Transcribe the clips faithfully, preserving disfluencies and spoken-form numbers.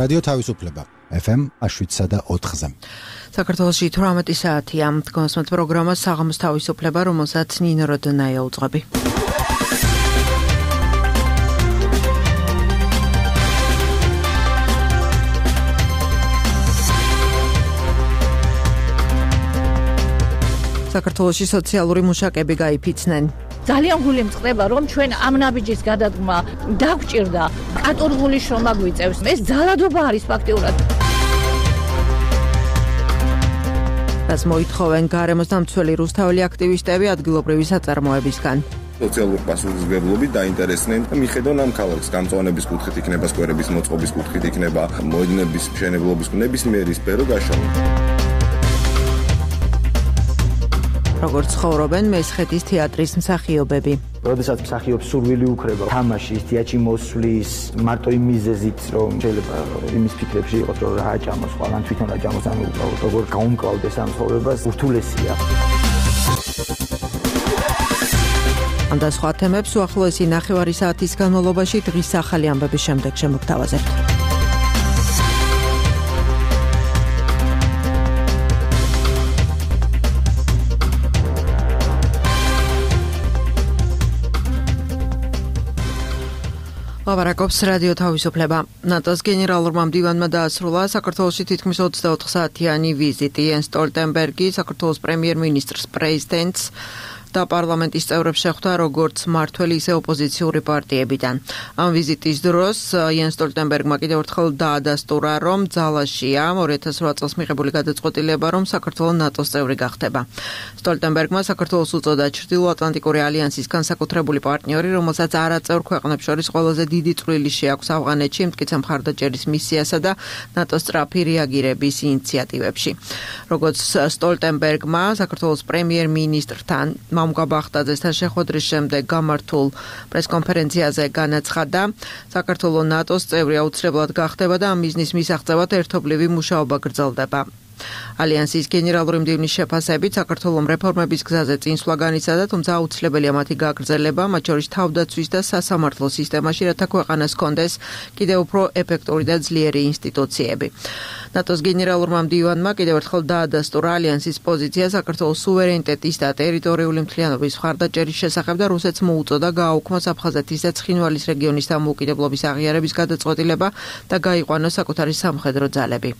რადიო თავისუფლება ეფ ემ შვიდსა და ოთხზე. საქართველოში თვრამეტი საათია. დგომასმოთ პროგრამა საღამოს თავისუფლება, რომელსაც ნინო როდონაია უძღვები. საქართველოში სოციალური მუშაკები გაიფიცნენ. ძალიან გული მწყდება, რომ ჩვენ ამ ნაბიჯის გადადგმა დაგვჭირდა. კატორღული შრომა გვიწევს. ეს ძალადობა არის ფაქტიურად. რაც მოითხოვენ გარემოს დამცველი რუსთაველი აქტივისტები ადგილობრივი საწარმოებისგან. სოციალური პასუხისმგებლობით დაინტერესდნენ და მიხედონ ამ ქალაქს გამწვანების კუთხით იქნება, სკვერების მოწყობის კუთხით იქნება, მოედნების მშენებლობის ნებისმიერი სფერო გაშალო. როგორც ცხოვრობენ მესხეთის თეატრის მსახიობები. როდესაც მსახიობს სურვილი უკრება თამაშის, თეატრში მოსვლის, მარტო იმ მიზეზით, რომ შეიძლება იმის ფიქრებში იყოს, რომ რა აჭამოს, ყველან თვითონ აჭამოს, ანუ როგორ გაუმკლავდეს ამ ცხოვრებას, ურთულესია. ამ და სხვა თემებს უახლოესი ნახევარი საათის განმავლობაში დღის ახალი ამბების შემდეგ შემოგთავაზებთ. ლაპარაკობს რადიო თავისუფლება. ნატოს გენერალურმა მდივანმა დაასრულა საქართველოში თითქმის ოცდაოთხ საათიანი ვიზიტი. იენს სტოლტენბერგი საქართველოს პრემიერ-მინისტრს, პრეზიდენტს და პარლამენტის წევრებს შეხვდა როგორც მმართველი, ისე ოპოზიციური პარტიებიდან. ამ ვიზიტის დროს იენს სტოლტენბერგმა კიდევ ერთხელ დაადასტურა, რომ ძალაშია ორი ათას ოთხ წელს მიღებული გადაწყვეტილება, რომ საქართველო ნატოს წევრი გახდება. სტოლტენბერგმა საქართველოს უწოდა ჩრდილოატლანტიკური ალიანსის განსაკუთრებული პარტნიორი, რომელსაც არაწევრ ქვეყნებს შორის ყველაზე დიდი წვლილი შეაქვს ავღანეთში, მტკიცე მხარდაჭერის მისიასა და ნატოს სწრაფი რეაგირების ინიციატივებში. როგორც სტოლტენბერგმა საქართველოს პრემიერ-მინისტრთან მამუკა ბახტაძესთან შეხვედრის შემდეგ გამართულ პრესკონფერენციაზე განაცხადა, საქართველო ნატოს წევრი აუცილებლად გახდება და ამ მიზნის მისაღწევად ერთობლივი მუშაობა გრძელდება. ალიანსის გენერალური მდივნის შეფასებით საქართველოს რეფორმების გზაზე წინსვლა განიცადა, თუმცა აუცილებელია მათი გაგრძელება, მათ შორის თავდაცვის და სასამართლო სისტემაში, რათა ქვეყანას ჰქონდეს კიდევ უფრო ეფექტური და ძლიერი ინსტიტუციები. ნატოს გენერალურმა მდივანმა კიდევ ერთხელ დაადასტურა ალიანსის პოზიცია საქართველოს სუვერენიტეტის და ტერიტორიული მთლიანობის მხარდაჭერის შესახებ და რუსეთს მოუწოდა გააუქმოს აფხაზეთის და ცხინვალის რეგიონის დამოუკიდებლობის აღიარების გადაწყვეტილება და გაიყვანოს საკუთარი სამხედრო ძალები.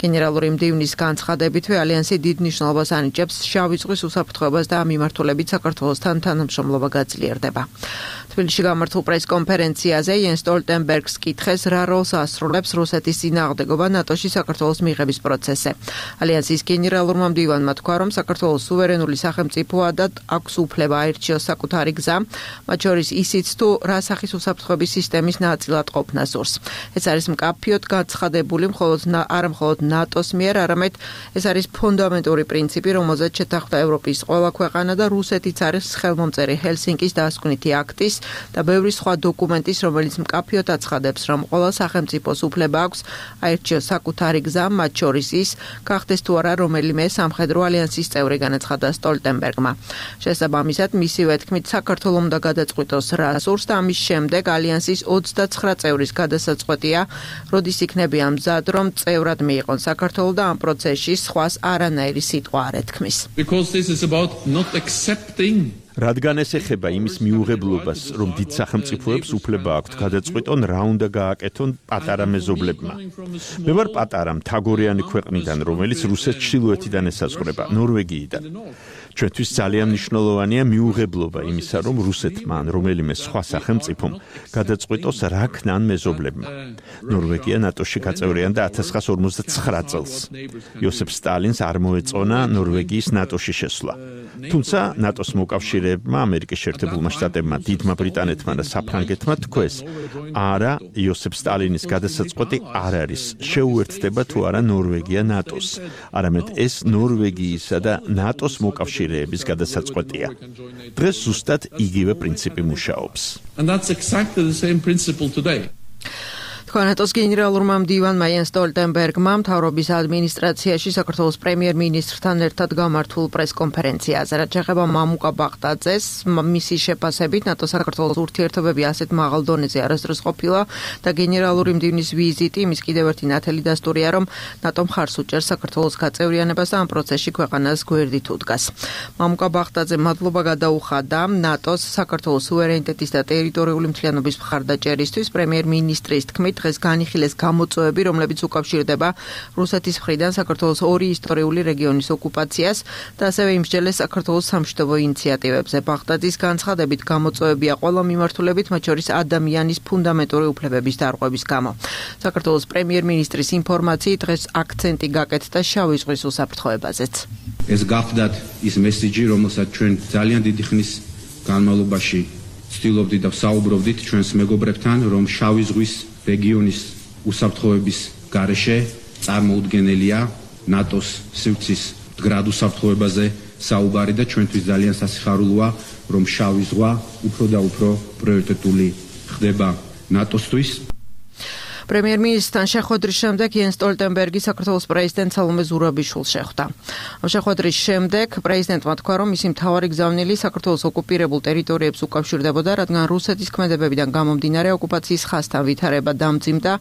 გენერალური მდივნის განცხადებითვე ალიანსი დიდ მნიშვნელობას ანიჭებს შავი ზღვის უსაფრთხოებას და ამ მიმართულებით საქართველოსთან თანამშრომლობა გაძლიერდება. თბილისში გამართულ პრესკონფერენციაზე იენს სტოლტენბერგს კითხეს, რა როლს ასრულებს რუსეთის წინააღმდეგობა ნატოში საქართველოს მიღების პროცესზე. ალიანსის გენერალურმა მდივანმა თქვა, რომ საქართველოს სუვერენული სახელმწიფოა და აქვს უფლება აირჩიოს საკუთარი გზა, მათ შორის ისიც თუ რა სახის უსაფრთხოების სისტემის ნაწილად ყოფნა სურს. ეს არის მკაფიოდ გაცხადებული მხოლოდ არა მხოლოდ ნატოს მიერ, არამედ ეს არის ფუნდამენტური პრინციპი, რომელზეც შეთანხმდა ევროპის ყველა ქვეყანა და რუსეთიც არის ხელმომწერი ჰელსინკის დასკვნითი აქტის და ბევრი სხვა დოკუმენტის, რომელიც მკაფიოდ აცხადებს, რომ ყველა სახელმწიფოს უფლება აქვს აირჩიოს საკუთარი გზა, მათ შორის ის გახდეს თუ არა რომელიმე სამხედრო ალიანსის წევრი, განაცხადა სტოლტენბერგმა. შესაბამისად, მისივე თქმით, საქართველოს უნდა გადაწყვიტოს რა სურს და ამის შემდეგ ალიანსის ოცდაცხრა წევრის გადასაწყვეტია, როდის იქნებიან მზად, რომ წევრად მიიღონ საქართველო და ამ პროცესში სხვას არანაირი სიტყვა არ ეთქმის. რადგან ეს ეხება იმის მიუღებლობას, რომ დიდ სახელმწიფოებს უფლება აქვთ გადაწყვიტონ რა უნდა გააკეთონ პატარა მეზობლებმა. მე ვარ პატარა მთაგორიანი ქვეყნიდან, რომელიც რუსეთს ჩრდილოეთიდან ესაზღვრება, ნორვეგიიდან. ჩვენთვის ძალიან მნიშვნელოვანია მიუღებლობა იმისა, რომ რუსეთმა ან რომელიმე სხვა სახელმწიფომ გადაწყვიტოს რა ქნან მეზობლებმა. ნორვეგია ნატოში გაწევრიანდა ათას ცხრაას ორმოცდაცხრა წელს. იოსებ სტალინს არ მოეწონა ნორვეგიის ნატოში შესვლა. თუმცა ნატოს მოკავშირეებმა, ამერიკის შეერთებულმა შტატებმა, დიდმა ბრიტანეთმა და საფრანგეთმა თქვეს, არა, იოსებ სტალინის გადასაწყვეტი არ არის, შეუერთდება თუ არა ნორვეგია ნატოს, არამედ ეს ნორვეგიისა და ნატოს მოკავშირეების გადასაწყვეტია. დღეს ზუსტად იგივე პრინციპი მუშაობს. ნატოს გენერალურმა მდივანმა იენს სტოლტენბერგმა მთავრობის ადმინისტრაციაში საქართველოს პრემიერ-მინისტრთან ერთად გამართულ პრესკონფერენციაზე, რაც ეხება მამუკა ბაღდაძეს, მისი შეფასებით ნატოს საქართველოს ურთიერთობები ასეთ მაღალ დონეზე არასდროს ყოფილა და გენერალური მდივნის ვიზიტი იმის კიდევ ერთი ნათელი დასტურია, რომ ნატო მხარს უჭერს საქართველოს გაწევრიანებას და ამ პროცესში ქვეყანას გვერდით უდგას. მამუკა ბაღდაძემ მადლობა გადაუხადა ნატოს საქართველოს სუვერენიტეტის და ტერიტორიული მთლიანობის მხარდაჭერისთვის. პრემიერ-მინისტრის თქმით, დღეს განიხილეს გამოწვევები, რომლებიც უკავშირდება რუსეთის მხრიდან საქართველოს ორი ისტორიული რეგიონის ოკუპაციას და ასევე იმსჯელეს საქართველოს სამშვიდობო ინიციატივებზე. ბაღდაძის განცხადებით, გამოწვევებია ყველა მიმართულებით, მათ შორის ადამიანის ფუნდამენტური უფლებების დარღვევის გამო. საქართველოს პრემიერ-მინისტრის ინფორმაციით, დღეს აქცენტი გაკეთდა შავი ზღვის უსაფრთხოებაზეც. ეს გახდათ ის მესიჯი, რომელსაც ჩვენ ძალიან დიდი ხნის განმავლობაში ვცდილობდით და ვსაუბრობდით ჩვენს მეგობრებთან, რომ შავი ზღვის რეგიონის უსაფრთხოების გარეშე წარმოუდგენელია ნატოს სივრცის მდგრად უსაფრთხოებაზე საუბარი და ჩვენთვის ძალიან სასიხარულოა, რომ შავი ზღვა უფრო და უფრო პრიორიტეტული ხდება ნატოსთვის. პრემიერ-მინისტრთან შეხვედრის შემდეგ იენს სტოლტენბერგი საქართველოს პრეზიდენტ სალომე ზურაბიშვილს შეხვდა. ამ შეხვედრის შემდეგ პრეზიდენტმა თქვა, რომ მისი მთავარი გზავნილი საქართველოს ოკუპირებულ ტერიტორიებს უკავშირდებოდა, რადგან რუსეთის ქმედებებიდან გამომდინარე ოკუპაციის ხაზთან ვითარება დამძიმდა,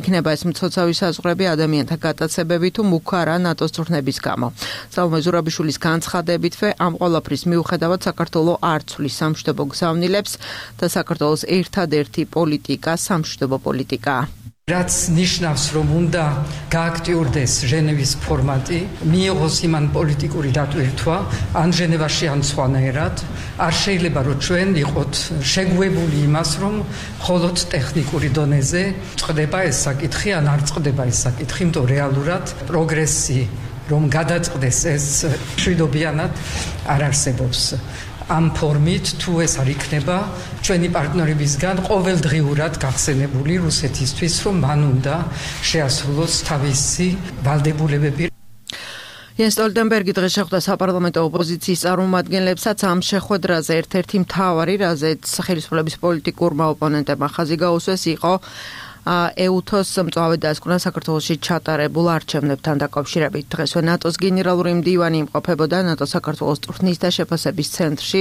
იქნება ეს მცოცავი საზღვრები ადამიანთა გატაცებები თუ მუქარა ნატოს წვრთნების გამო. სალომე ზურაბიშვილის განცხადებითვე, ამ ყველაფრის მიუხედავად საქართველოს არ ცვლის სამშვიდობო გზავნილებს და საქართველოს ერთადერთი პოლიტიკა სამშვიდობო პოლიტიკაა. რაც ნიშნავს, რომ უნდა გააქტიურდეს ჟენევის ფორმატი, მიიღოს იმან პოლიტიკური დატვირთვა, ან ჟენევაში ან სხვანაირად, არ შეიძლება რომ ჩვენ იყოთ შეგუებული იმას, რომ მხოლოდ ტექნიკური დონეზე წყდება ეს საკითხი, ან არ წყდება ეს საკითხი, იმიტომ რეალურად პროგრესი, რომ გადაწყდეს ეს მშვიდობიანად არ არსებობს. ამ ფორმით თუ ეს არ იქნება ჩვენი პარტნიორებისგან ყოველდღიურად გახსენებული რუსეთისთვის, რომ მან უნდა შეასრულოს თავისი ვალდებულებები. იენს სტოლტენბერგი დღეს შეხვდა საპარლამენტო ოპოზიციის წარმომადგენლებსაც. ამ შეხვედრაზე ერთ-ერთი მთავარი, რაზეც ხელისუფლების პოლიტიკურმა ოპონენტებმა ხაზი გაუსვეს, იყო ეუთოს მწვავე დასკვნა საქართველოში ჩატარებულ არჩევნებთან დაკავშირებით. დღესვე ნატოს გენერალური მდივანი იმყოფებოდა ნატოს საქართველოს წვრთნის და შეფასების ცენტრში,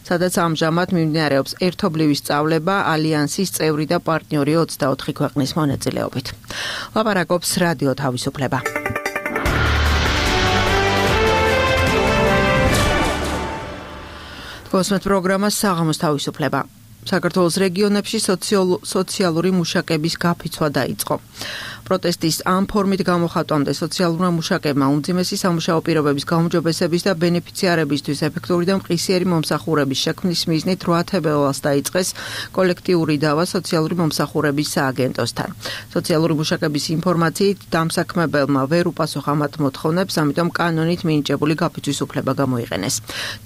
სადაც ამჟამად მიმდინარეობს ერთობლივი სწავლება ალიანსის წევრი და პარტნიორი ოცდაოთხი ქვეყნის მონაწილეობით. ლაპარაკობს რადიო თავისუფლება. კოსმეთ პროგრამა საღამოს თავისუფლება. საქართველოს რეგიონებში სოციალური მუშაკების გაფიცვა დაიწყო. პროტესტის ამ ფორმით გამოხატვამდე სოციალურმა მუშაკებმა უმძიმესი სამუშაო პირობების გაუმჯობესების და ბენეფიციარებისთვის ეფექტური და მყისიერი მომსახურების შექმნის მიზნით რვა თებერვალს დაიწყეს კოლექტიური დავა სოციალური მომსახურების სააგენტოსთან. სოციალური მუშაკების ინფორმაციით დამსაქმებელმა ვერ უპასუხა მათ მოთხოვნებს, ამიტომ კანონით მინიჭებული გაფიცვის უფლება გამოიყენეს.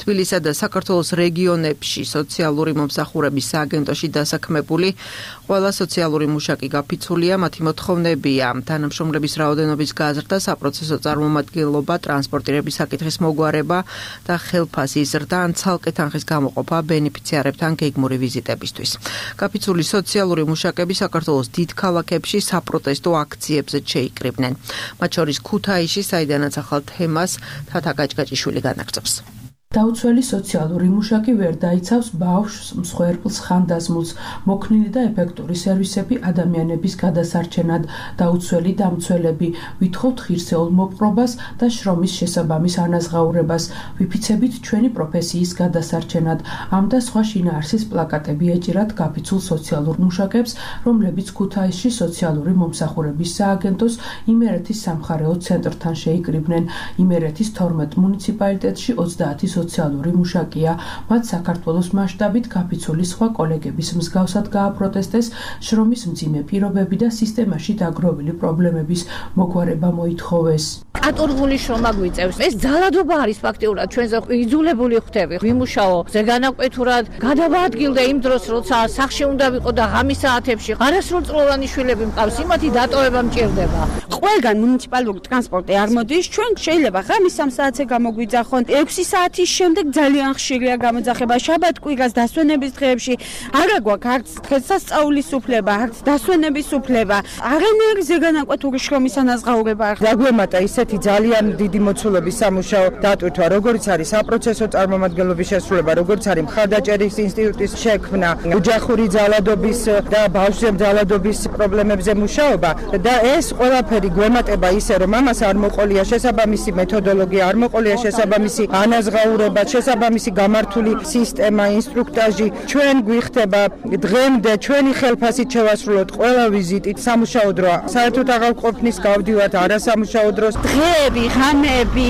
თბილისსა და საქართველოს რეგიონებში სოციალური მომსახურების სააგენტოში დასაქმებული ყველა სოციალური მუშაკი გაფიცულია, მათი მოთხოვნები თანამშრომლების რაოდენობის გაზრდა, საპროცესო წარმომადგენლობა, ტრანსპორტირების საკითხის მოგვარება და ხელფასის ზრდა ან ცალკე თანხის გამოყოფა ბენეფიციარებთან გეგმური ვიზიტებისთვის. გაფიცული სოციალური მუშაკები საქართველოს დიდ ქალაქებში საპროტესტო აქციებზეც შეიკრიბნენ. მათ შორის ქუთაისში, საიდანაც ახალ თემას თათა გაჭგაჭიშვილი განაგრძობს. დაუცველი სოციალური მუშაკი ვერ დაიცავს ბავშვს, მსხვერპლს, ხანდაზმულს, მოქნილი და ეფექტური სერვისები ადამიანების გადასარჩენად, დაუცველი დამცველები, ვითხოვთ ღირსეულ მოპყრობას და შრომის შესაბამის ანაზღაურებას, ვიფიცებით ჩვენი პროფესიის გადასარჩენად. ამ და სხვა შინაარსის პლაკატები ეჭირათ გაფიცულ სოციალურ მუშაკებს, რომლებიც ქუთაისში სოციალური მომსახურების სააგენტოს იმერეთის სამხარეო ცენტრთან შეიკრიბნენ. იმერეთის თორმეტ მუნიციპალიტეტში ოცდაათი სოციალური მუშაკია. მათ საქართველოს მასშტაბით გაფიცული სხვა კოლეგების მსგავსად გააპროტესტეს შრომის მძიმე პირობები და სისტემაში დაგროვილი პრობლემების მოგვარება მოითხოვეს. ატურღული შრომა გვიწევს. ეს ძალადობა არის ფაქტიურად ჩვენზე იძულებული ხდები. ვიმუშაო ზეგანაკვეთურად, გადავაადგილდე იმ დროს, როცა სახში უნდა ვიყო და ღამის საათებში არასრულწლოვანი შვილები მყავს, იმათი დატოვება მჭირდება. ყველგან მუნიციპალური ტრანსპორტი არ მოდის, ჩვენ შეიძლება ღამის სამ საათზე გამოგვიძახონ, ექვსი საათი შემდეგ ძალიან ხშირია გამოძახება შაბათ-კვირას დასვენების დღეებში. არა გვაქვს არც დღესასწაულის უფლება, არც დასვენების უფლება. არანაირი ზეგანაკვეთური შრომის ანაზღაურება. დაგვემატა ისეთი ძალიან დიდი მოცულობის სამუშაო დატვირთვა, როგორც არის საპროცესო წარმომადგენლობის შესრულება, როგორც არის მხარდაჭერის ინსტიტუტის შექმნა, ოჯახური ძალადობის და ბავშვზე ძალადობის პრობლემებზე მუშაობა და ეს ყველაფერი გვემატება ისე, რომ ამას არ მოყოლია შესაბამისი მეთოდოლოგია, არ მოყოლია შესაბამისი ანაზღაურება, შესაბამისი გამართული სისტემა, ინსტრუქტაჟი. ჩვენ გვიხდება დღემდე ჩვენი ხელფასით შევასრულოთ ყველა ვიზიტით სამუშაო დრო. საერთოდ აღარ ყოფნის გავდივართ არასამუშაო დროს. დღეები, ღამეები,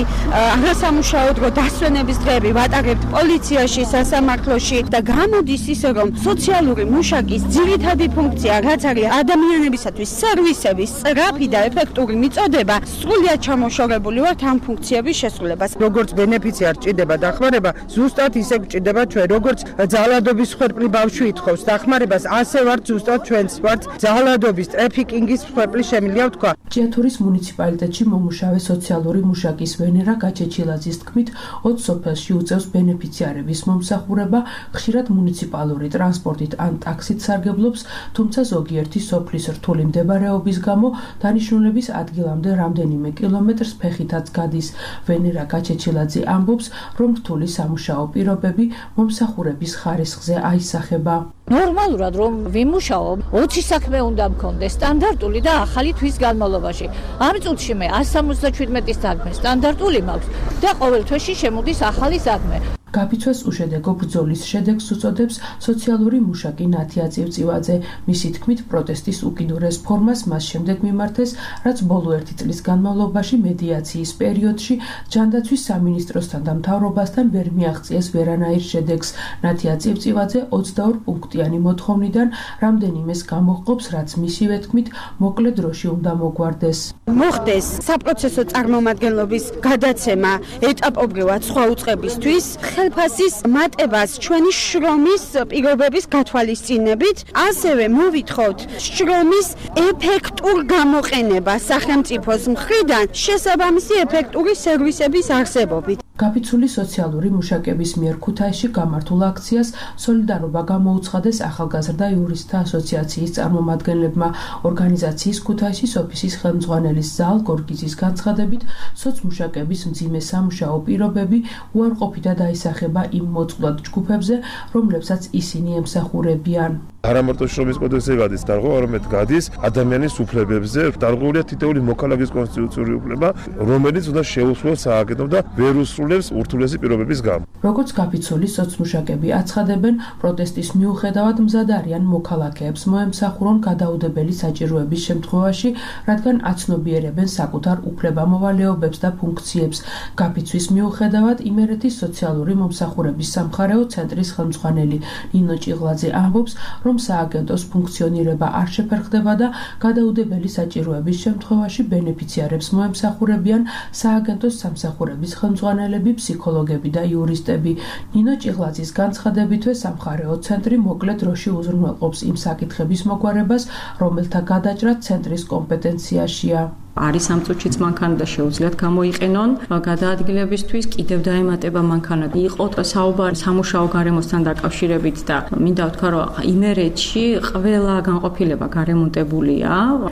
არასამუშაო დრო, დასვენების დღეები ვატარებთ პოლიციაში, სასამართლოში და გამოდის ისე, რომ სოციალური მუშაკის ძირითადი ფუნქცია, რაც არის ადამიანებისათვის სერვისების სწრაფი და ეფექტური მიწოდება, სრულიად ჩამოშორებული ვართ ამ ფუნქციების შესრულებას. როგორც ბენეფიციარ ჭირდება დახმარება, ზუსტად ისე გვჭირდება ჩვენ, როგორც ძალადობის მსხვერპლი ბავშვი ითხოვს დახმარებას, ასე ვართ ზუსტად ჩვენც ვართ ძალადობის, ტრაფიკინგის მსხვერპლი შემიძლია ვთქვა. ჭიათურის მუნიციპალიტეტში მომუშავე სოციალური მუშაკის ვენერა გაჩეჩილაძის თქმით, ოც სოფელში უწევს ბენეფიციარების მომსახურება, ხშირად მუნიციპალური ტრანსპორტით ან ტაქსით სარგებლობს, თუმცა ზოგიერთი სოფლის რთული მდებარეობის გამო დანიშნულების ადგილამდე რამდენიმე კილომეტრს ფეხითაც გადის. ვენერა გაჩეჩილაძე ამბობს, რომ რთული სამუშაო პირობები მომსახურების ხარისხზე აისახება. ნორმალურად რომ ვიმუშაო, ოცი საქმე უნდა მქონდეს სტანდარტული და ახალი თვის განმავლობაში. ამ წუთში მე εκατს სამოცდაჩვიდმეტი საქმე სტანდარტული მაქვს და ყოველ თვეში შემოდის ახალი საქმე. გაფიცვას უშედეგო ბრძოლის შედეგს უწოდებს სოციალური მუშაკი ნათია წივწივაძე. მისი თქმით, პროტესტის უკიდურეს ფორმას მას შემდეგ მიმართეს, რაც ბოლო ერთი წლის განმავლობაში მედიაციის პერიოდში ჯანდაცვის სამინისტროსთან და მთავრობასთან ვერ მიაღწიეს ვერანაირ შედეგს. ნათია წივწივაძე ოცდაორ პუნქტიანი მოთხოვნიდან რამდენიმეს გამოჰყოფს, რაც მისივე თქმით, მოკლე დროში უნდა მოგვარდეს. მოხდეს საპროცესო წარმომადგენლობის გადაცემა ეტაპობრივად სხვა უწყებისთვის, ხელფასის მატებას ჩვენი შრომის პირობების გათვალისწინებით, ასევე მოვითხოვთ შრომის ეფექტურ გამოყენება სახელმწიფოს მხრიდან შესაბამისი ეფექტური სერვისების არსებობით. გაფიცული სოციალური მუშაკების მიერ ქუთაისში გამართულ აქციას სოლიდარობა გამოუცხადეს ახალგაზრდა იურისტთა ასოციაციის წარმომადგენლებმა. ორგანიზაციის ქუთაისის ოფისის ხელმძღვანელის ზალ გორგიძის განცხადებით, სოცმუშაკების მძიმე სამუშაო პირობები უარყოფითად აისახება იმ მოწყვლად ჯგუფებზე, რომლებსაც ისინი ემსახურებიან. არა მარტო შრომის კოდექსზე გადის დარღვევა, არამედ გადის ადამიანის უფლებებზე. დარღვეულია თითოეული მოქალაქის კონსტიტუციური უფლება, რომელიც უნდა შეუსრულოს სააგენტომ და ვერ უსრულებს ურთულესი პირობების გამო. როგორც გაფიცული სოცმუშაკები აცხადებენ, პროტესტის მიუხედავად მზად არიან მოქალაქეებს მოემსახურონ გადაუდებელი საჭიროების შემთხვევაში, რადგან აცნობიერებენ საკუთარ უფლებამოვალეობებს და ფუნქციებს. გაფიცვის მიუხედავად იმერეთის სოციალური მომსახურების სამხარეო ცენტრის ხელმძღვანელი ნინო ჭიღლაძე ამბობს, რომ სააგენტოს ფუნქციონირება არ შეფერხდება და გადაუდებელი საჭიროების შემთხვევაში ბენეფიციარებს მოემსახურებიან სააგენტოს სამსახურების ხელმძღვანელები, ფსიქოლოგები და იურისტები. ნინო ჭიღლაძის განცხადებითვე სამხარეო ცენტრი მოკლე დროში უზრუნველყოფს იმ საკითხების მოგვარებას, რომელთა გადაჭრა ცენტრის კომპეტენციაშია. არის ამ წუთშიც მანქანა და შეუძლიათ გამოიყენონ გადაადგილებისთვის, კიდევ დაემატება მანქანა. იყო საუბარი სამუშაო გარემოსთან დაკავშირებით და მინდა ვთქვა, რომ იმერეთში ყველა განყოფილება გარემონტებულია.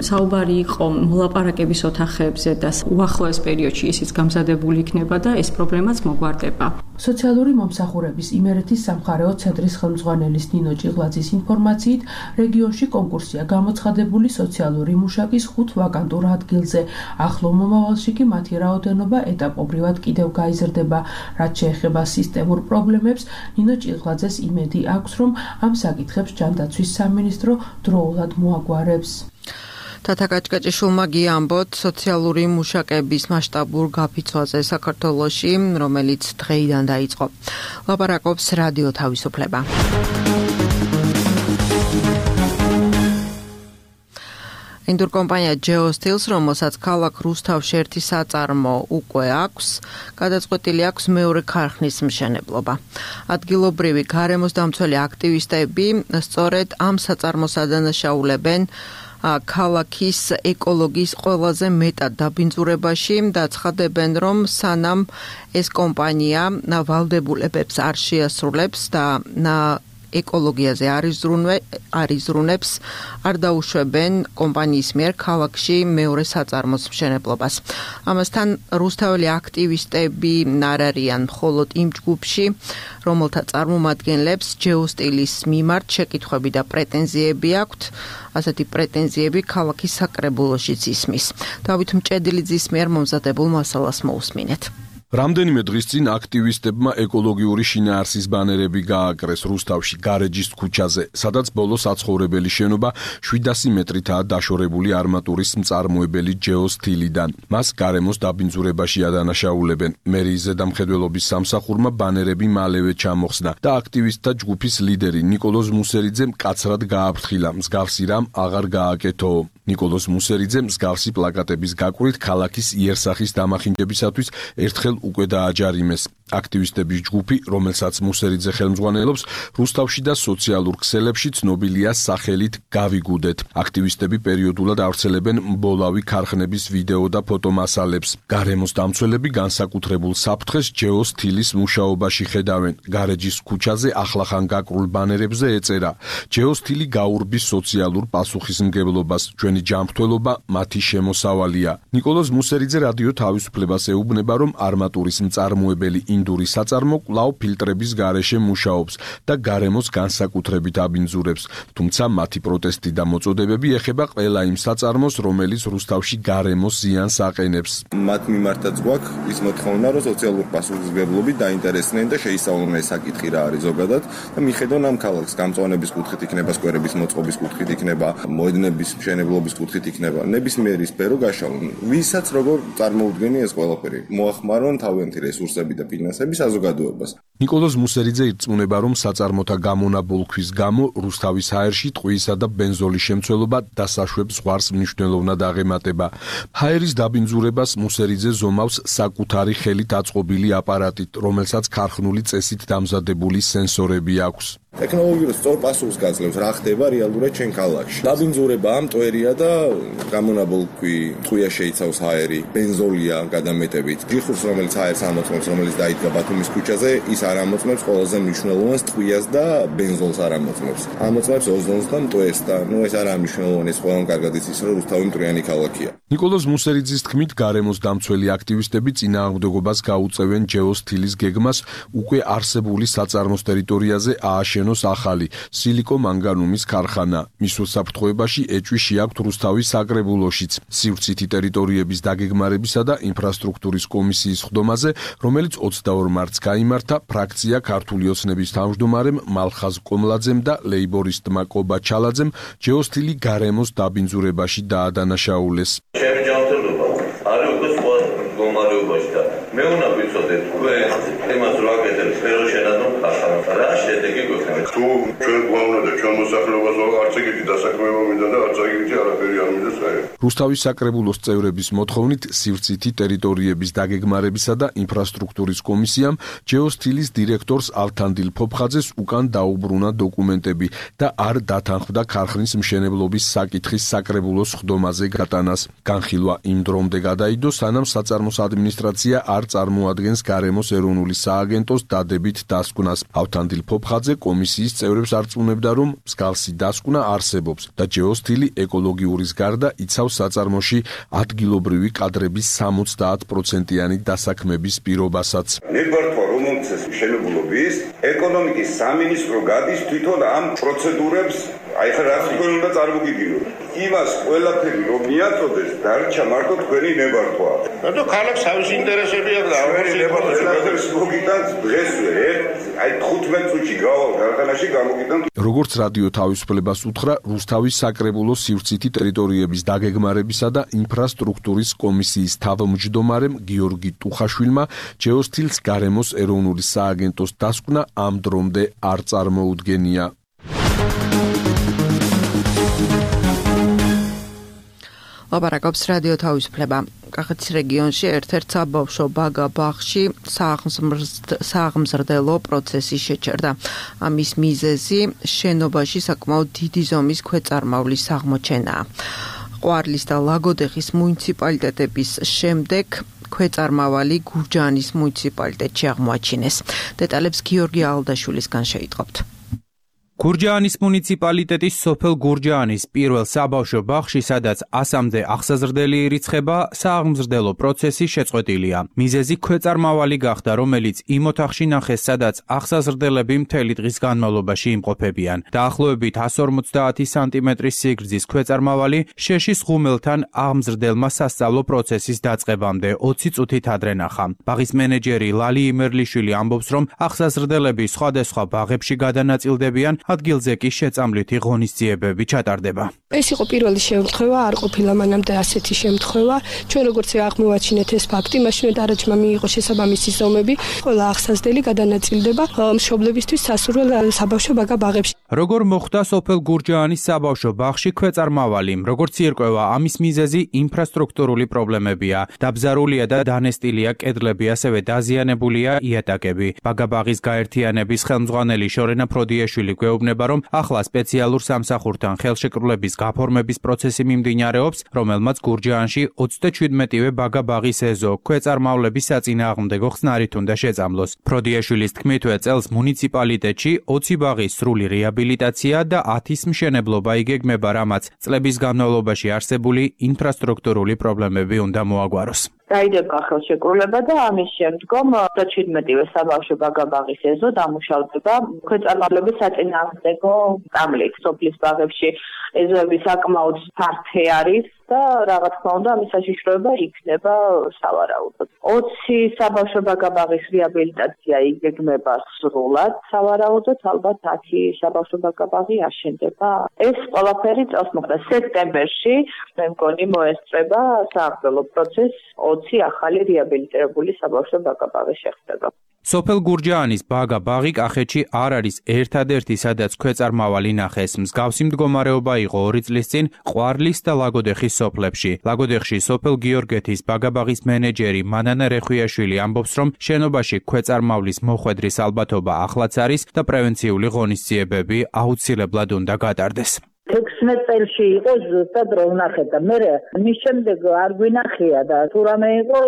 საუბარი იყო მოლაპარაკების ოთახებზე და უახლოეს პერიოდში ისიც გამზადებული იქნება და ეს პრობლემაც მოგვარდება. სოციალური მომსახურების იმერეთის სამხარეო ცენტრის ხელმძღვანელის ნინო ჭიღლაძის ინფორმაციით, რეგიონში კონკურსია გამოცხადებული სოციალური მუშაკის ხუთ ვაკანტურ ადგილზე. ახლო მომავალში კი მათი რაოდენობა ეტაპობრივად კიდევ გაიზრდება. რაც შეეხება სისტემურ პრობლემებს, ნინო ჭიღლაძეს იმედი აქვს, რომ ამ საკითხებს ჯანდაცვის სამინისტრო დროულად მოაგვარებს. თათა კაჭკაჭიშვილმა გიამბოთ სოციალური მუშაკების მასშტაბურ გაფიცვაზე საქართველოში, რომელიც დღეიდან დაიწყო. ლაპარაკობს რადიო თავისუფლება. ინდურ კომპანია Geostils, რომელსაც ქალაქ რუსთავში ერთი საწარმო უკვე აქვს, გადაწყვეტილი აქვს მეორე ქარხნის მშენებლობა. ადგილობრივი გარემოს დამცველი აქტივისტები სწორედ ამ საწარმოს ადანაშაულებენ ქალაქის ეკოლოგიის ყველაზე მეტად დაბინძურებაში და ცხადებენ, რომ სანამ ეს კომპანია ვალდებულებებს არ შეასრულებს და ეკოლოგიაზე არიზრუნებს, არ დაუშვებენ კომპანიის მიერ ქალაქში მეორე საწარმოს მშენებლობას. ამასთან რუსთაველი აქტივისტები არ არიან მხოლოდ იმ ჯგუფში, რომელთა წარმომადგენლებს ჯეოსტილის მიმართ შეკითხვები და პრეტენზიები აქვთ. ასეთი პრეტენზიები ქალაქის საკრებულოშიც ისმის. დავით მჭედლიძის მიერ მომზადებულ მასალას მოусმინეთ. რამდენიმე დღის წინ აქტივისტებმა ეკოლოგიური შინაარსის ბანერები გააკრეს რუსთავში გარეჯის ქუჩაზე, სადაც ბოლო საცხოვრებელი შენობა შვიდასი მეტრითაა დაშორებული არმატურის მწარმოებელი ჯეოსტილიდან. მას გარემოს დაბინძურებაში ადანაშაულებენ. მერიის ზედამხედველობის სამსახურმა ბანერები მალევე ჩამოხსნა და აქტივისტთა ჯგუფის ლიდერი ნიკოლოზ მუსერიძე მკაცრად გააფრთხილა, მსგავსი რამ აღარ გააკეთო. ნიკოლოზ მუსერიძე მსგავსი პლაკატების გაკვირით ქალაქის იერსახის დამახინჯებისათვის ერთხელ უკვე დააჯარიმეს. აქტივისტების ჯგუფი, რომელსაც მუსერიძე ხელმძღვანელობს, რუსთავში და სოციალურ ქსელებში ცნობილია სახელით გავიგუდეთ. აქტივისტები პერიოდულად ავრცელებენ მბოლავი ქარხნების ვიდეო და ფოტომასალებს. გარემოს დამცველები განსაკუთრებულ საფრთხეს ჯეოსტილის მუშაობაში ხედავენ. გარეჯის ქუჩაზე ახლახან გაკრულ ბანერებზე ეწერა: ჯეოსტილი გაურბის სოციალურ პასუხისმგებლობას, ჩვენი ჯანმრთელობა მათი შემოსავალია. ნიკოლოზ მუსერიძე რადიო თავისუფლებას ეუბნება, რომ არმატურის მწარმოებელი ინდური საწარმო კვლავ ფილტრების გარეშე მუშაობს და გარემოს განსაკუთრებით აბინძურებს, თუმცა მათი პროტესტი და მოწოდებები ეხება ყველა იმ საწარმოს, რომელიც რუსთავში გარემოს ზიანს აყენებს. მათ მიმართაც გვაქვს ის მოთხოვნა, რომ სოციალურ პასუხისმგებლობით დაინტერესდნენ და შეისწავლონ ეს საკითხი რა არის ზოგადად და მიხედონ ამ ქალაქს გამწვანების კუთხით იქნება, სკვერების მოწყობის კუთხით იქნება, მოედნების მშენებლობის კუთხით იქნება, ნებისმიერი სფერო გაშალონ. ვისაც როგორ წარმოუდგენია ეს ყველაფერი, მოახმარონ თავიანთი რესურსები და ფინანსები საზოგადოებას. ნიკოლოზ მუსერიძე ირწმუნება, რომ საწარმოთა გამონაბოლქვის გამო რუსთავის ჰაერში ტყვიისა და ბენზოლის შემცველობა დასაშვებს ზღვარს მნიშვნელოვნად აღემატება. ჰაერის დაბინძურებას მუსერიძე ზომავს საკუთარი ხელით აწყობილი აპარატით, რომელსაც ქარხნული წესით დამზადებული სენსორები აქვს. ტექნოლოგიურ სწორ პასუხს გაძლევს რა ხდება რეალურად ჩვენ ქალაქში. დაბინძურება ამტვერია და გამონაბოლქვი ტყვია შეიცავს ჰაერი, ბენზოლია გადამეტებით. ჯიხურს, რომელიც ჰაერს ამოწმებს, რომელიც დაიდგა ბათუმის ქუჩაზე, ის არ ამოწმებს ყველაზე მნიშვნელოვანს ტყვიას და ბენზოლს არ ამოწმებს. ამოწმებს ოზონს და მტვერს და ნუ ეს არ არის მნიშვნელოვანი, ეს ყველამ კარგად იცის, რომ რუსთავი მტვრიანი ქალაქია. ნიკოლოზ მუსერიძის თქმით, გარემოს დამცველი აქტივისტები წინააღმდეგობას გაუწევენ ჯეოსტილის გეგმას უკვე არსებული საწარმოს ტერიტორიაზე ააშენოს ახალი სილიკო-მანგანუმის ქარხანა. მის უსაფრთხოებაში ეჭვი შეაქვთ რუსთავის საკრებულოშიც. სივრცითი ტერიტორიების დაგეგმარებისა და ინფრასტრუქტურის კომისიის ხდომაზე, რომელიც ოცდაორ მარტს გაიმართა, ფრაქცია ქართული ოცნების თავმჯდომარემ მალხაზ კომლაძემ და ლეიბორისტმა კობა ჩალაძემ ჯეოსტილი გარემოს დაბინძურებაში დაადანაშაულეს. ჩემი ჯანმრთელობა არის უკვე სხვა მდგომარეობაში და მე უნდა ვიცოდეთ თქვენ იმას რა გეტყვით სფერო შენადონ ხახანს რა შედეგი გვექნება თუ ჩვენ გვაუნა და ჩვენ მოსახლეობას არც ეგეთი დასაქმება მინდა და არც ეგეთი არაფერი არ მინდა საერთოდ. რუსთავის საკრებულოს წევრების მოთხოვნით სივრცითი ტერიტორიების დაგეგმარებისა და ინფრასტრუქტურის კომისიამ ჯეოსტილის დირექტორს ალთანდილ ფოფხაძეს უკან დაუბრუნა დოკუმენტები და არ დათანხმდა ქარხნის მშენებლობის საკითხის საკრებულოს ხდომაზე გატანას. განხილვა იმ დრომდე გადაიდო, სანამ საწარმოს ადმინისტრაცია არ წარმოადგენს გარემოს ეროვნული სააგენტოს დადებით დასკვნას. ავთანდილ ფოფხაძე კომისიის წევრებს არწმუნებდა, რომ მსგავსი დასკვნა არსებობს და ჯეოსტილი ეკოლოგიურის გარდა იცავს საწარმოში ადგილობრივი კადრების სამოცდაათ პროცენტიანი დასაქმების პირობასაც. ნებართვა რომელცეს მშენებლობის ეკონომიკის სამინისტრო გადის თვითონ ამ პროცედურებს აი ხა რა თქვენ უნდა წარმოგიდგინოთ. იმას ყველაფერი რომ მიაწოდეს დარჩა მარტო თქვენი ნებართვა. რატო ქალაქს თავისი ინტერესები აქვს და ამაში ნებართვას მოგიტანს დღესვე აი თხუთმეტ წუთში გავალ გარდანაში გამოგიტან. როგორც რადიო თავისუფლებას უთხრა, რუსთავის საკრებულოს სივრცითი ტერიტორიების დაგეგმარებისა და ინფრასტრუქტურის კომისიის თავმჯდომარემ გიორგი ტუხაშვილმა ჯეოსტილს გარემოს ეროვნული სააგენტოს დასკვნა ამ დრომდე არ წარმოუდგენია. ლაპარაკობს რადიო თავისუფლება. კახეთის რეგიონში ერთ-ერთ საბავშვო ბაგა ბაღში სააღმზრდელო პროცესი შეჩერდა. ამის მიზეზი შენობაში საკმაოდ დიდი ზომის ქვეწარმავლის აღმოჩენაა. ყვარლის და ლაგოდეხის მუნიციპალიტეტების შემდეგ ქვეწარმავალი გურჯაანის მუნიციპალიტეტში აღმოაჩინეს. დეტალებს გიორგი ალდაშვილისგან შეიტყობთ. გურჯაანის მუნიციპალიტეტის სოფელ გურჯაანის პირველ საბავშვო ბაღში, სადაც ასამდე აღსაზრდელი ირიცხება, სააღმზრდელო პროცესი შეწყვეტილია. მიზეზი ქვეწარმავალი გახდა, რომელიც იმ ოთახში ნახეს, სადაც აღსაზრდელები მთელი დღის განმავლობაში იმყოფებიან. დაახლოებით εκατს ორმოცდაათი სანტიმეტრის სიგრძის ქვეწარმავალი შეშის ღუმელთან აღმზრდელმა სასწავლო პროცესის დაწყებამდე ოცი წუთით ადრე ნახა. ბაღის მენეჯერი ლალი იმერლიშვილი ამბობს, რომ აღსაზრდელები სხვადასხვა ბაღებში გადანაწილდებიან, ადგილზე კი შეწამლითი ღონისძიებები ჩატარდება. ეს იყო პირველი შემთხვევა, არ ყოფილა მანამდე ასეთი შემთხვევა. ჩვენ როგორც აღმოვაჩინეთ ეს ფაქტი, მაშინ დარაჯმა მიიღო შესაბამისი ზომები, ყველა აღსაზრდელი გადანაწილდება მშობლებისთვის სასურველ საბავშვო ბაგა ბაღებში. როგორ მოხდა სოფელ გურჯაანის საბავშვო ბაღში ქვეწარმავალი? როგორც ირკვევა, ამის მიზეზი ინფრასტრუქტურული პრობლემებია. დაბზარულია და დანესტილია კედლები, ასევე დაზიანებულია იატაკები. ბაგა ბაღის გაერთიანების ხელმძღვანელი შორენა ფროდიაშვილი გვეუბნება, რომ ახლა სპეციალურ სამსახურთან ხელშეკრულების გაფორმების პროცესი მიმდინარეობს, რომელმაც გურჯაანში ოცდაჩვიდმეტივე ბაგა ბაღის ეზო ქვეწარმავლების საწინააღმდეგო ხსნარით უნდა შეწამლოს. ფროდიაშვილის თქმითვე, წელს მუნიციპალიტეტში ოცი ბაღის სრული რეაბილიტაცია და ათის მშენებლობა იგეგმება, რამაც წლების განმავლობაში არსებული ინფრასტრუქტურული პრობლემები უნდა მოაგვაროს. დაიდება ხელშეკრულება და ამის შემდგომ ოცდაჩვიდმეტივე საბავშვო ბაგა ბაღის ეზო დამუშავდება ქვეწარმავლების საწინააღმდეგო წამლით. სოფლის ბაღებში ეზოები საკმაოდ ფართე არის და რა თქმა უნდა ამის საშიშროება იქნება სავარაუდოდ. ოცი საბავშვო ბაგა ბაღის რეაბილიტაცია იგეგმება სრულად სავარაუდოდ, ალბათ ათი საბავშვო ბაგა ბაღი აშენდება. ეს ყველაფერი წელს მოხდა სექტემბერში, მე მგონი მოესწრება სააღმრელო პროცესს. ოცი ახალი რეაბილიტირებული საბავშვო ბაგა ბაღი შეხვდება. სოფელ გურჯაანის ბაგა ბაღი კახეთში არ არის ერთადერთი, სადაც ქვეწარმავალი ნახეს. მსგავსი მდგომარეობა იყო ორი წლის წინ ყვარლის და ლაგოდეხის სოფლებში. ლაგოდეხში სოფელ გიორგეთის ბაგა ბაღის მენეჯერი მანანა რეხვიაშვილი ამბობს, რომ შენობაში ქვეწარმავლის მოხვედრის ალბათობა ახლაც არის და პრევენციული ღონისძიებები აუცილებლად უნდა გატარდეს. ექვსმეტ წელში იყო ზუსტად რო ვნახეთ და მე მის შემდეგ არ გვინახია და თუ რამე იყო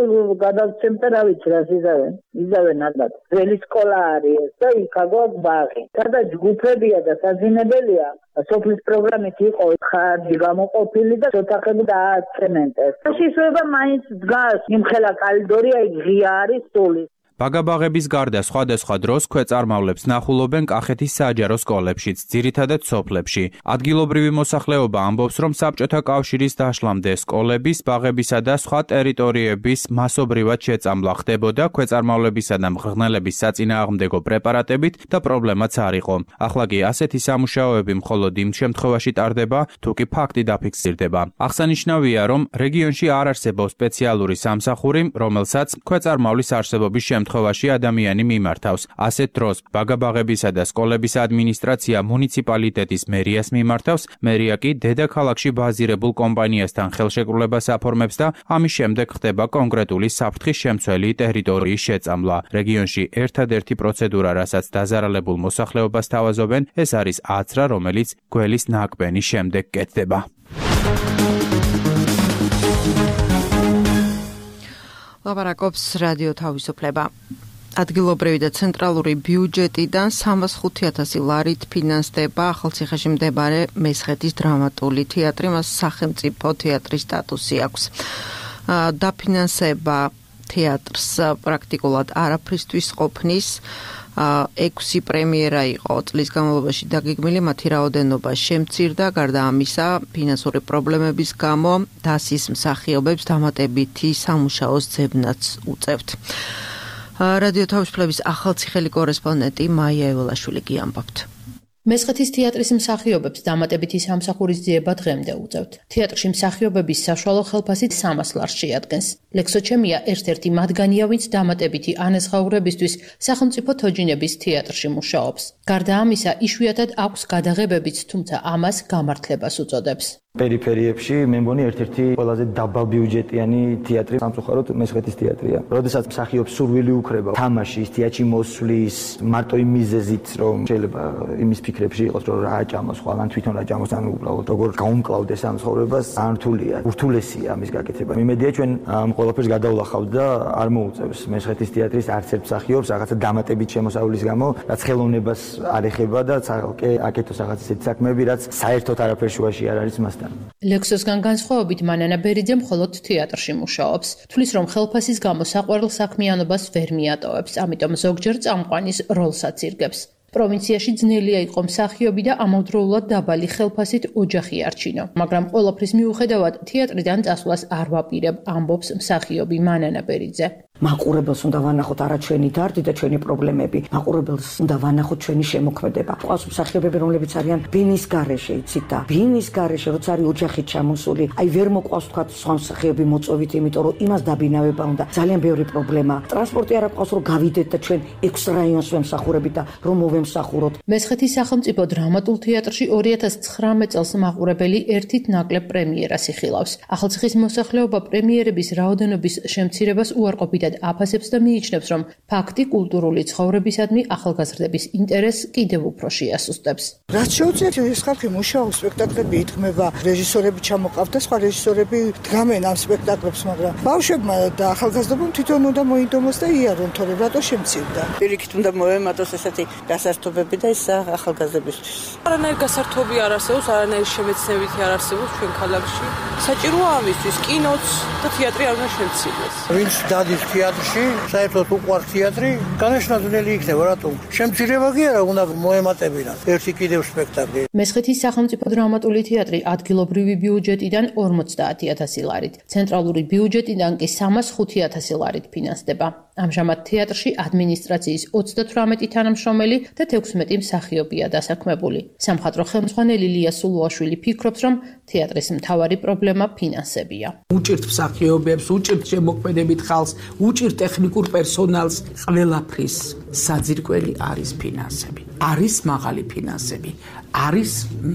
გადავცემ და რა ვიცი რა იზავენ იზავენ ალბათ ძველი სკოლა არის და იქ აქვს ბაღი და ჯგუფებია და საძინებელია სოფლის პროგრამით იყო ხარჯი გამოყოფილი და ოთახები დააცემენტეს შესაძლოა მაინც დგას იმხელა კალიდორია ღია არის სული. ბაგა-ბაღების გარდა სხვადასხვა დროს ქვეწარმავლებს ნახულობენ კახეთის საჯარო სკოლებშიც, ძირითადად სოფლებში. ადგილობრივი მოსახლეობა ამბობს, რომ საბჭოთა კავშირის დაშლამდე სკოლების, ბაღებისა და სხვა ტერიტორიების მასობრივად შეწამლა ხდებოდა ქვეწარმავლებისა და მღრღნელების საწინააღმდეგო პრეპარატებით და პრობლემაც არ იყო. ახლა კი ასეთი სამუშაოები მხოლოდ იმ შემთხვევაში ტარდება, თუ კი ფაქტი დაფიქსირდება. აღსანიშნავია, რომ რეგიონში არ არსებობს სპეციალური სამსახური, რომელსაც ქვეწარმავლის არსებობის შემთხვევაში ადამიანი მიმართავს. ასეთ დროს ბაგა-ბაღებისა და სკოლების ადმინისტრაცია მუნიციპალიტეტის მერიას მიმართავს, მერია კი დედაქალაქში ბაზირებულ კომპანიასთან ხელშეკრულებას აფორმებს და ამის შემდეგ ხდება კონკრეტული საფრთხის შემცველი ტერიტორიის შეწამლა. რეგიონში ერთადერთი პროცედურა, რასაც დაზარალებულ მოსახლეობას თავაზობენ, ეს არის აცრა, რომელიც გველის ნაკბენის შემდეგ კეთდება. ლაპარაკობს რადიო თავისუფლება. ადგილობრივი და ცენტრალური ბიუჯეტიდან სამას ხუთი ათასი ლარით ფინანსდება ახალციხეში მდებარე მესხეთის დრამატული თეატრი, მას სახელმწიფო თეატრის სტატუსი აქვს. დაფინანსება თეატრს პრაქტიკულად არაფრისთვის ყოფნის. ექვსი პრემიერა იყო წლის განმავლობაში დაგეგმილი, მათი რაოდენობა შემცირდა, გარდა ამისა, ფინანსური პრობლემების გამო დასის მსახიობებს დამატებითი სამუშაოს ძებნაც უწევთ. რადიო თავისუფლების ახალციხელი კორესპონდენტი მაია ეველაშვილი გიამბობთ. მესხეთის თეატრის მსახიობებს დამატებითი სამსახურის ძიება დღემდე უწევთ. თეატრში მსახიობების საშუალო ხელფასი სამას ლარს შეადგენს. ლექსოჩემია ერთ-ერთი მათგანია, ვინც დამატებითი ანაზღაურებისთვის სახელმწიფო თოჯინების თეატრში მუშაობს. გარდა ამისა, იშვიათად აქვს გადაღებებიც, თუმცა ამას გამართლებას უწოდებს. პერიფერიებში მე მგონი ერთ-ერთი ყველაზე დაბალბიუჯეტიანი თეატრი სამწუხაროდ მესხეთის თეატრია. როდესაც მსახიობს სურვილი უქრება თამაშის, თეატრში მოსვლის, მარტო იმ მიზეზით, რომ შეიძლება იმის ფიქრებში იყოს, რომ რა აჭამოს, ხო, ან თვითონ აჭამოს, ან უბრალოდ როგორ გაუმკლავდეს ამ ცხოვრებას, არ რთულია. ურთულესია ამის გაკეთება. იმედია ჩვენ ამ ყველაფერს გადავლახავთ და არ მოუწევს მესხეთის თეატრის არც ერთ მსახიობს რაღაცა დამატებით შემოსავლის გამო, რაც ხელოვნებას არ ეხება და ცალკე აკეთოს რაღაც ისეთი საქმეები, რაც საერთოდ არაფერ შუაში არ არის მასთან. ლექსოსგან განსხვავებით მანანა ბერიძე მხოლოდ თეატრში მუშაობს. თulis რომ ხელფასის გამო საყვარელ საქმიანობას ვერ მიატოვებს, ამიტომ ზოგჯერ წამყვანის როლსაც ირგებს. პროვინციაში ძნელია იყო მსახიობი და ამავდროულად დაბალი ხელფასით ოჯახი არჩინო, მაგრამ ყველაფრის მიუხედავად თეატრიდან წასვლას არ ვაპირებ, ამბობს მსახიობი მანანა ბერიძე. მაყურებელს უნდა ვანახოთ არა ჩვენი დარდი და ჩვენი პრობლემები, მაყურებელს უნდა ვანახოთ ჩვენი შემოქმედება. ყავს მსახიობები, რომლებიც არიან ბინის გარეშე, იცით და ბინის გარეშე, როცა არის ოჯახით ჩამოსული, აი ვერ მოყვავს თქვა სხვა მსახიობი მოწოვით, იმიტომ რომ იმას დაბინავება უნდა. ძალიან ბევრი პრობლემა. ტრანსპორტი არ აქვს, რომ გავიდეთ და ჩვენ ექვს რაიონს ვემსახურებით და რომ მოვემსახუროთ. მესხეთის სახელმწიფო დრამატულ თეატრში ორი ათას ცხრამეტ წელს მაყურებელი ერთით ნაკლებ პრემიერას იხილავს. ახალციხის მოსახლეობა პრემიერების რაოდენობის შემცირებას უარყოფითად აფასებს და მიიჩნევს, რომ ფაქტი კულტურული ცხოვრებისადმი ახალგაზრდების ინტერესს კიდევ უფრო შეასუსტებს. რაც შეუძლიათ ეს ხალხი მუშაობს, სპექტაკლები ითქმება, რეჟისორები ჩამოყავთ და სხვა რეჟისორები დგამენ ამ სპექტაკლებს, მაგრამ ბავშვებმა და ახალგაზრდებმა თვითონ უნდა მოინდომოს და იარონ, თორემ რატო შემცირდა. პირიქით უნდა მოემატოს ესეთი გასართობები და ის ახალგაზრდებისთვის. არანაირი გასართობი არ არსებობს, არანაირი შემეცნებითი არ არსებობს ჩვენ ქალაქში. საჭიროა ამისთვის კინოც და თეატრი არ უნდა შემცირდეს. ვინც დადის თეატრში, საერთოდ უყვარს თეატრი, განაშლა ძნელი იქნება, რატომ? შემცირება კი არა, უნდა მოემატებინათ ერთი კიდევ სპექტაკლი. მესხეთის სახელმწიფო დრამატული თეატრი ადგილობრივი ბიუჯეტიდან ორმოცდაათი ათასი ლარით, ცენტრალური ბიუჯეტიდან კი სამას ხუთი ათასი ლარით ფინანსდება. ამჟამად თეატრში ადმინისტრაციის ოცდათვრამეტი თანამშრომელი და თექვსმეტი მსახიობია დასაქმებული. სამხატვრო ხელმძღვანელი ლია სულუაშვილი ფიქრობს, რომ თეატრის მთავარი პრობლემა ფინანსებია. უჭირთ მსახიობებს, უჭირთ შემოქმედებით ხალხს, უჭირთ ტექნიკურ პერსონალს, ყველაფრის საძირკველი არის ფინანსები. არის მაღალი ფინანსები, არის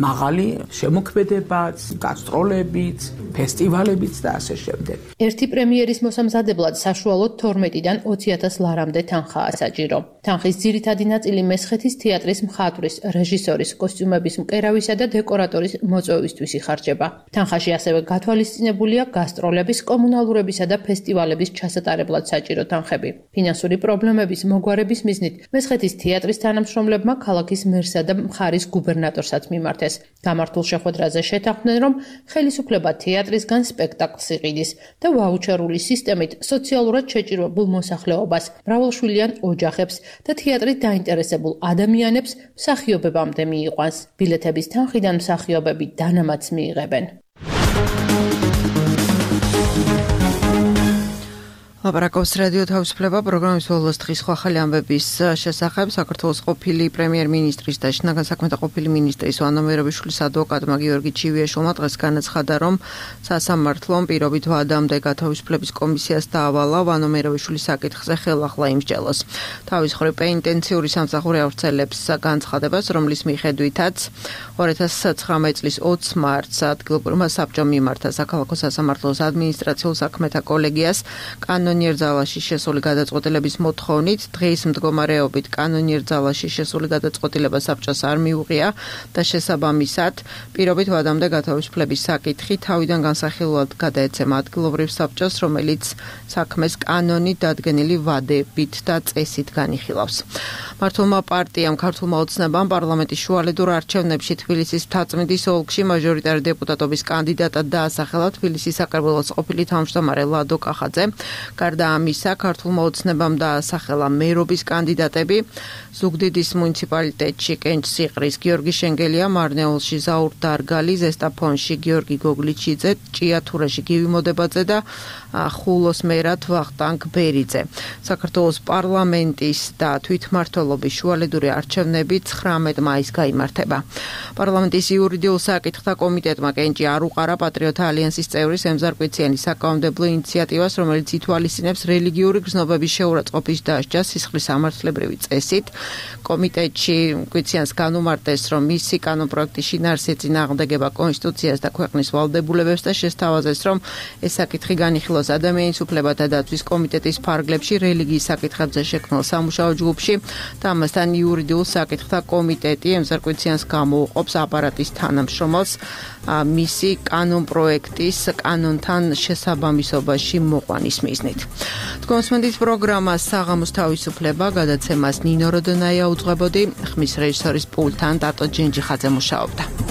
მაღალი შემოქმედებაც, გასტროლებიც, ფესტივალებიც და ასე შემდეგ. ერთი პრემიერის მოსამზადებლად საშუალოდ თორმეტიდან ოცი ათას ლარამდე თანხაა საჭირო. თანხის ძირითადი ნაწილი მესხეთის თეატრის მხატვრის, რეჟისორის, კოსტიუმების მკერავისა და დეკორატორის მოწვევისთვის იხარჯება. თანხაში ასევე გათვალისწინებულია გასტროლების, კომუნალურებისა და ფესტივალების ჩასატარებლად საჭირო თანხები. ფინანსური პრობლემების მოგვარების მიზნით მესხეთის თეატრის თანამშრომლებმა ქალაქის მერსა და მხარის გუბერნატორსაც მიმართეს. გამართულ შეხვედრაზე შეთანხმდნენ, რომ ხელისუფლება თეატრისგან სპექტაკლს იყიდის და ვაუჩერული სისტემით სოციალურად შეჭირებულ მოსახლეობას, მრავალშვილიან ოჯახებს და თეატრით დაინტერესებულ ადამიანებს მსახიობებამდე მიიყვანს. ბილეთების თანხიდან მსახიობები დანამატს მიიღებენ. ლაპარაკობს რადიო თავისუფლება პროგრამის ბოლოს დღის სხვა ხალი ამბების შესახებ. საქართველოს ყოფილი პრემიერ-მინისტრის და შინაგან საქმეთა ყოფილი მინისტრის ვანო მერაბიშვილის ადვოკატმა გიორგი ჩივიაშვილმა დღეს განაცხადა, რომ სასამართლომ პირობით ვადამდე გათავისუფლების კომისიას დაავალა ვანო მერაბიშვილის საკითხზე ხელახლა იმსჯელოს. თავის მხრივ პენიტენციური სამსახური ავრცელებს განცხადებას, რომლის მიხედვითაც ორი ათას ცხრამეტ წლის ოცი მარტს ადგილობრივმა საბჭომ მიმართა საქალაქო სასამართლოს ადმინისტრაციულ საქმეთა კოლეგიას კანონიერ ძალაში შესული გადაწყვეტილების მოთხოვნით. დღის მდგომარეობით კანონიერ ძალაში შესული გადაწყვეტილება საბჭოს არ მიუღია და შესაბამისად პირობით ვადამდე გათავისუფლების საკითხი თავიდან განსახილულად გადაეცემა ადგილობრივ საბჭოს, რომელიც საქმეს კანონით დადგენილი ვადებით და წესით განიხილავს. მართლმა პარტიამ ქართულმა ოცნებამ პარლამენტის შუალედურ არჩევნებში თბილისის მთაწმინდის ოლქში მაჟორიტარი დეპუტატობის კანდიდატად დაასახელა თბილისის საკრებულოს ყოფილი თავმჯდომარე ლადო კახაძე. გარდა ამისა, ქართულმა ოცნებამ დაასახელა მერობის კანდიდატები ზუგდიდის მუნიციპალიტეტში კენჭსიყრის გიორგი შენგელია, მარნეულში ზაურ დარგალი, ზესტაფონში გიორგი გოგლიჩიძე, ჭიათურაში გივი მოდებაძე და ხულოს მერად ვახტანგ ბერიძე. საქართველოს პარლამენტის და თვითმმართველობის შუალედური არჩევნები ცხრამეტ მაისს გაიმართება. პარლამენტის იურიდიულ საკითხთა კომიტეტმა კენჭი არ უყარა პატრიოტთა ალიანსის წევრის ემზარ კვიციანის საკანონმდებლო ინიციატივას, რომელიც ითვალისწინებს რელიგიური გრძნობების შეურაცხყოფის დასჯას სისხლის სამართლებრივი წესით. კომიტეტში გვიციანს განუმარტეს, რომ მისი კანონპროექტი შინაარსი წინააღმდეგება კონსტიტუციას და ქვეყნის ვალდებულებებს და შესთავაზეს, რომ ეს საკითხი განიხილოს ადამიანის უფლებათა დაცვის კომიტეტის ფარგლებში რელიგიის საკითხებზე შექმნილ სამუშაო ჯგუფში და ამასთან იურიდიულ საკითხთა კომიტეტი ემზარკვიციანს გამოუყოფს აპარატის თანამშრომელს მისი კანონპროექტის კანონთან შესაბამისობაში მოყვანის მიზნით. თქვენსმენდით პროგრამას საღამოს თავისუფლება გადაცემას ნინო როდონაია უძღვებოდი, ხმის რეჟისორის პულტთან დატო ჯენჯიხაძე მუშაობდა.